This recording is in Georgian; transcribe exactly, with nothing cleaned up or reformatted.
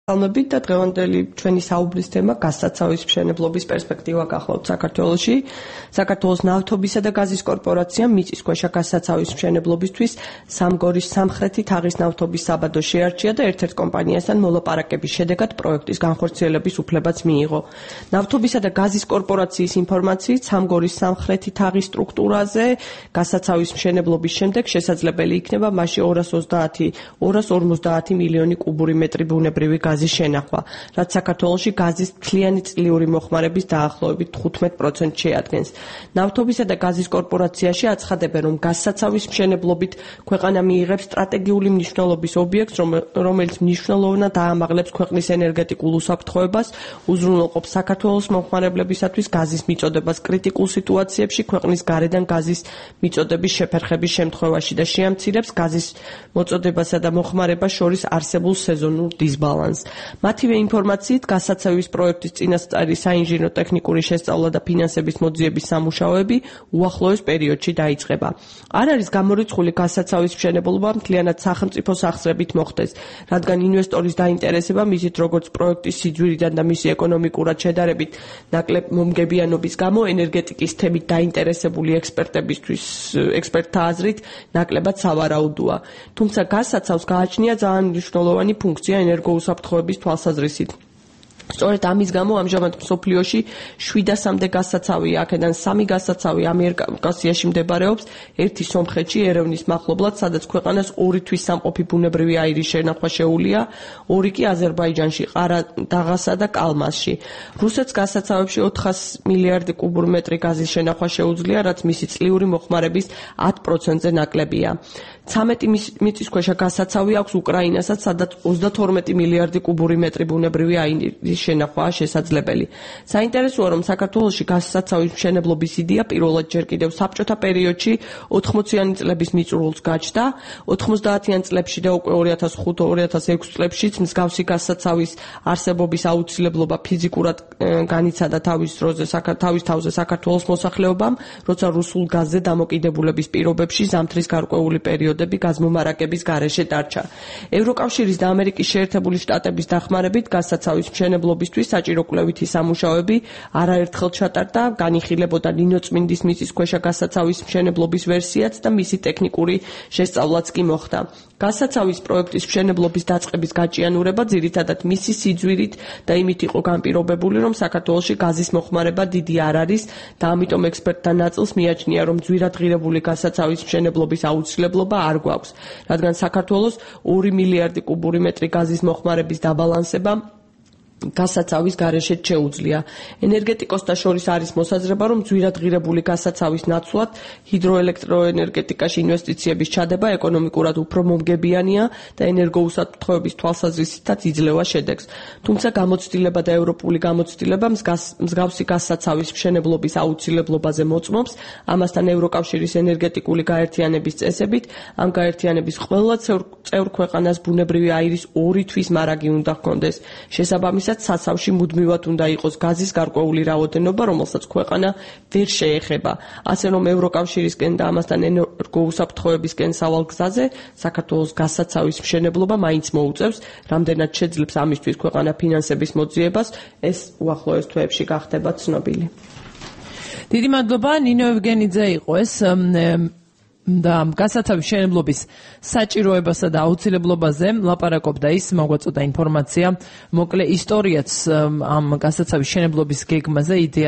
Almabit და დღევანდელი ჩვენი საუბრის თემა გაზსაცავის მშენებლობის პერსპექტივა გახლავთ საქართველოში. საქართველოს ნავთობისა და გაზის კორპორაციამ მიწისქვეშა გაზსაცავის მშენებლობისთვის სამგორის სამხრეთი თაღის ნავთობის საბადო შეარჩია და ერთ-ერთ კომპანიასთან მოლაპარაკების შედეგად პროექტის განხორციელების უფლებაც მიიღო. ნავთობისა და გაზის კორპორაციის ინფორმაციით სამგორის სამხრეთი თაღის სტრუქტურაზე გაზსაცავის მშენებლობის შემდეგ შესაძლებელი იქნება მასში ორას ოცდაათი ორას ორმოცდაათი მილიონი კუბური მეტრი ბუნებრივი გაზის შენახვა, რაც საქართველოში გაზის მთლიანი წლიური მოხმარების დაახლოებით თხუთმეტ პროცენტს შეადგენს. ნავთობისა და გაზის კორპორაციაში აცხადებენ, რომ გაზსაცავის მშენებლობით ქვეყანა მიიღებს სტრატეგიული მნიშვნელობის ობიექტს, რომელიც მნიშვნელოვნად აამაღლებს ქვეყნის ენერგეტიკულ უსაფრთხოებას, უზრუნველყოფს საქართველოს მომხმარებლებისათვის გაზის მიწოდებას კრიტიკულ სიტუაციებში ქვეყნის გარედან გაზის მიწოდების შეფერხების შემთხვევაში და შეამცირებს გაზის მოწოდებასა და მოხმარებას შორის არსებულ სეზონურ დისბალანსს. მათივე ინფორმაციით გაზსაცავის პროექტის წინასწარი საინჟინრო ტექნიკური შესწავლა და ფინანსების მოძიების სამუშაოები უახლოეს პერიოდში დაიწყება. არ არის გამორიცხული გაზსაცავის მშენებლობა მთლიანად სახელმწიფოს ახსრებით მოხდეს, რადგან ინვესტორის დაინტერესება მისით როგორც პროექტის სიძვირიდან და მისი ეკონომიკურად შედარებით ნაკლებ მომგებიანობის გამო ენერგეტიკის თემით დაინტერესებული ექსპერტებისთვის ექსპერტთა აზრით ნაკლებად სავარაუდოა. თუმცა გაზსაცავს გააჩნია ძალიან მნიშვნელოვანი ფუნქცია ენერგოუსაფრთხოების თვალსაზრისით. სწორედ ამის გამო ამჟამად მსოფლიოში შვიდასამდე გაზსაცავია, აქედან სამი გაზსაცავი ამიერკავკასიაში მდებარეობს, ერთი სომხეთში ერევნის მახლობლად, სადაც ქვეყანას ორი თვის სამყოფი ბუნებრივი აირის შენახვა შეუძლია, ორი კი აზერბაიჯანში, ყარადაღასა და კალმასში. რუსეთს გაზსაცავებში ოთხას მილიარდი კუბურ მეტრი გაზის შენახვა შეუძლია, რაც მისი წლიური მოხმარების ათ პროცენტზე ნაკლებია. ცამეტი მიწისქვეშა გაზსაცავი აქვს უკრაინასაც, სადაც ოცდათორმეტი მილიარდი კუბური მეტრი ბუნებრივი აირის შენახვაა შესაძლებელი. საინტერესოა, რომ საქართველოში გაზსაცავის მშენებლობის იდეა პირველად ჯერ კიდევ საბჭოთა პერიოდში ოთხმოციანი წლების მიწურულს გაჩნდა. ოთხმოცდაათიან წლებში და უკვე ორი ათას ხუთი ორი ათას ექვსი წლებშიც მსგავსი გაზსაცავის არსებობის აუცილებლობა ფიზიკურად განიცადა თავის დროზე თავის თავზე საქართველოს მოსახლეობამ, როცა რუსულ გაზზე დამოკიდებულების პირობებში ზამთრის გარკვეული პერიოდები გაზმომარაგების გარეშე დარჩა. ევროკავშირის და ამერიკის შეერთებული შტატების დახმარებით გაზსაცავის მშენებლობისთვის საჭირო კვლევითი სამუშაოები არაერთხელ ჩატარდა, განიხილებოდა ნინოწმინდის მიწისქვეშა გაზსაცავის მშენებლობის ვერსიაც და მისი ტექნიკური შესწავლაც კი მოხდა. გაზსაცავის პროექტის მშენებლობის დაწყების გაჭიანურება ძირითადად მისი სიძვირით და იმით იყო განპირობებული, რომ საქართველოში გაზის მოხმარება დიდი არ არის და ამიტომ ექსპერტთა ნაწილს მიაჩნია, რომ ძვირადღირებული გაზსაცავის მშენებლობის აუცილებლობა არ გვაქვს, რადგან საქართველოს ორი მილიარდი კუბური მეტრი გაზის მოხმარების დაბალანსება გაზსაცავის გარეშე შეუძლია. ენერგეტიკოსთა შორის არის მოსაზრება, რომ ძვირადღირებული გაზსაცავის ნაცვლად ჰიდროელექტროენერგეტიკაში ინვესტიციების ჩადება ეკონომიკურად უფრო მომგებიანია და ენერგოუსაფრთხოების თვალსაზრისითაც იძლევა შედეგს. თუმცა გამოცდილება და ევროპული გამოცდილება მსგავსი გაზსაცავის მშენებლობის აუცილებლობაზე მოწმობს, ამასთან ევროკავშირის ენერგეტიკული გაერთიანების წესებით ამ გაერთიანების ყველა წევრ ქვეყანას ბუნებრივი აირის ორი თვის მარაგი უნდა ჰქონდეს. შესაბამისად საცავში მუდმივად უნდა იყოს გაზის გარკვეული რაოდენობა, რომელსაც ქვეყანა ვერ შეეხება. ასე რომ ევროკავშირისკენ და ამასთან ენერგოუსაფრთხოებისკენ სავალ გზაზე საქართველოს გაზსაცავის მშენებლობა მაინც მოუწევს, რამდენად შეძლებს ამისთვის ქვეყანა ფინანსების მოძიებას, ეს უახლოეს თვეებში გახდება ცნობილი. დიდი მადლობა, ნინო ევგენიძე იყო ეს და გაზსაცავის მშენებლობის საჭიროებასა და აუცილებლობაზე ლაპარაკობდა ის, მოგვაწოდა ინფორმაცია, მოკლე ისტორიაც ამ გაზსაცავის მშენებლობის გეგმაზე, იდეა